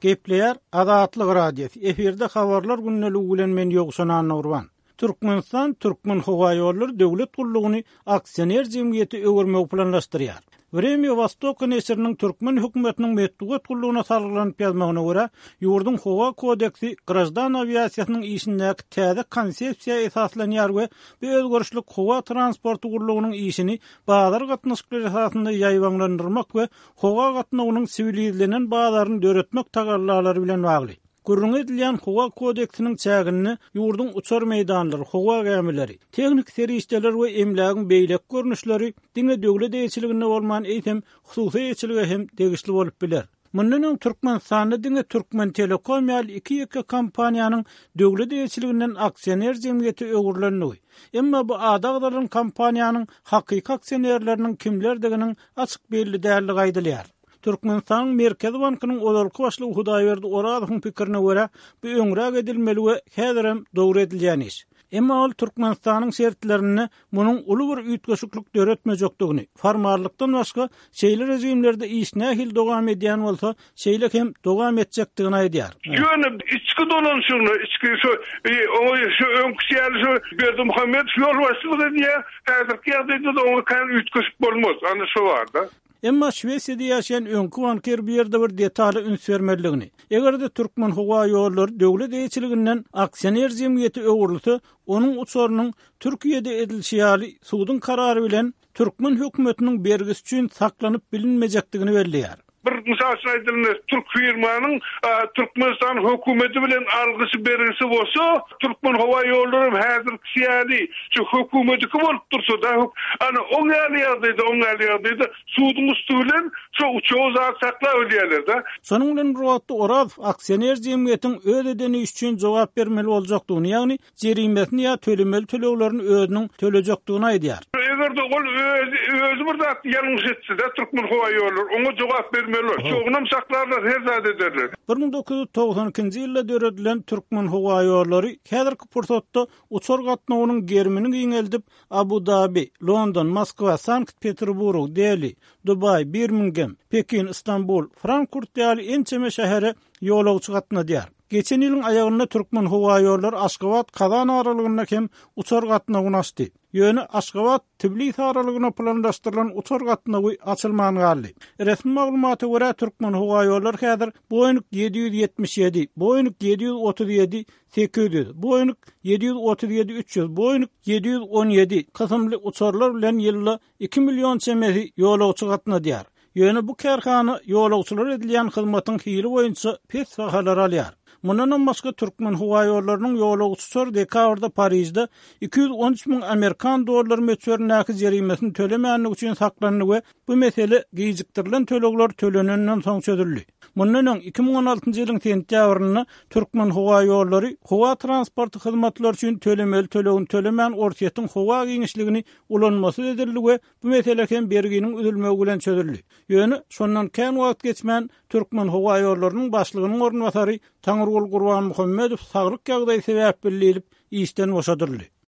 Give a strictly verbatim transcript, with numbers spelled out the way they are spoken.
Gepleýär Azatlyk Radiosy. Efirde habarlar gündeligi bilen men Ýowşan Annagurban. Türkmenistan Türkmenhowaýollary döwlet gullugyny aksioner jemgyýete öwürmegi planlaşdyrýar. Vremya Wostoka neşiriniň türkmen hökümetiniň metbugat gullugyna salgylanyp ýazmagyna görä, ýurduň howa kodeksi graždan awiasiýasynyň işindäki täze konsepsiýa esaslanýar we bu özgerişlik howa transporty gullugynyň işini bazar gatnaşyklary esasynda ýaýbaňlandyrmak we howa gatnawynyň siwilizlenen bazaryny döretmek tagallalary bilen bagly. Gürrüňi edilýän howa kodeksiniň çäginde ýurduň uçar meýdanlary, howa gämileri, tehniki serişdeler we emlägiň beýleki görnüşleri diňe döwlet eýeçiliginde bolman, eýsem hususy eýeçilige hem degişli bolup biler. Mundan öň Türkmenistanda diňe Türkmentelekom ýaly iki ýeke kompaniýanyň döwlet eýeçiliginden aksioner jemgyýete öwrülendigi, emma bu ady agzalan kompaniýanyň hakyky aksionerleriniň kimlerdiginiň açyk belli däldigi aýdylýar. Türkmenistanyň Merkezi bankynyň ozalky başlygy Hudaýberdi Orazowyň pikirine görä, bu öňräk edilmeli we häzirem dogry edilýän iş. Emma ol Türkmenistanyň şertlerinde munuň uly bir üýtgeşiklik döretmejekdigini, formallykdan başga şeýle režimlerde iş nähili dowam edýän bolsa, şeýle hem dowam etjekdigini aýdýar. Ýöne içki dolanyşygyna, içki şu oňa şu öňküsi ýaly şu Berdimuhamedow ýolbaşçylyk edýär, häzirki ýagdaýda-da oňa kän üýtgeşik bolmaz, ana şo bar-da. Emma Şwesiýada ýaşaýan öňki bankir bu ýerde bir detala üns bermelidigini, eger-de Türkmenhowaýollary döwlet eýeçiliginden aksioner jemgyýete öwrülse, onuň uçarynyň Türkiýede edilişi ýaly suduň karary bilen türkmen hökümetiniň bergisi üçin saklanyp bilinmejekdigini belleýär. Bir mysal üçin aýdylanda, türk firmanyň Türkmenistan hökümeti bilen algysy-bergisi bolsa, Türkmenhowaýollary hem häzirkisi ýaly şu hökümetiki bolup dursa-da, ana, oň ýaly ýagdaýda, oň ýaly ýagdaýda suduň üsti bilen şo uçagy zat saklap bilýärler-de. Şonuň bilen bir wagtda Orazow aksioner jemgyýetiň öz eden işi üçin jogap bermeli boljakdygyny, ýagny jerimesini ýa tölemeli töleglerini özüniň tölejekdigini aýdýar. Eger-de ol özi, özi bir zat ýalňyş etse-de, Türkmenhowaýollary oňa jogap bermeli bolar. Uçagynam saklarlar, her zat ederler. Bir müň dokuz ýüz togsan ikinji ýylda döredilen Türkmenhowaýollary häzirki pursatda uçar gatnawynyň gerimini giňeldip, Abu-Dabi, London, Moskwa, Sankt-Peterburg, Deli, Dubaý, Birmingem, Pekin, Stambul, Frankfurt ýaly ençeme şähere ýolagçy gatnadýar. Geçen ýylyň aýagynda Türkmenhowaýollary Aşgabat-Kazan aralygynda hem uçar gatnawyny açdy. Ýöne Aşgabat-Tbilisi aralygyna planlaşdyrylan uçar gatnawy açylman galdy. Resmi maglumata görä, Türkmenhowaýollary häzir Boeing ýedi ýüz ýetmiş ýedi, Boeing ýedi ýüz otuz ýedi sekiz ýüz, Boeing ýedi ýüz otuz ýedi üç ýüz, Boeing ýedi ýüz on ýedi kysymly uçarlar bilen ýylda iki million çemesi ýolagçy gatnadýar. Ýöne bu kärhana ýolagçylara edilýän hyzmatyň hili boýunça pes bahalar alýar. Mundanam başga Türkmenhowaýollarynyň ýolagçy uçary dekabrda Parižde iki ýüz on üç müň amerikan dollary möçberindäki jerimesini tölemänligi üçin saklandy we bu mesele gijikdirilen tölegler tölenenden soň çözüldi. Mundan öň iki müň on altynjy ýylyň sentýabrynda Türkmenhowaýollary howa transporty hyzmatlary üçin tölemeli tölegini tölemän Orsýetiň howa giňişligini ulanmasyz edildi we bu mesele hem berginiň üzülmegi bilen çözüldi. Ýöne şondan kän wagt geçmän Türkmenhowaýollarynyň başlygynyň orunbasary Taňrygul Gurbanmuhammedow saglyk ýagdaýy sebäpli diýlip işden boşadyldy.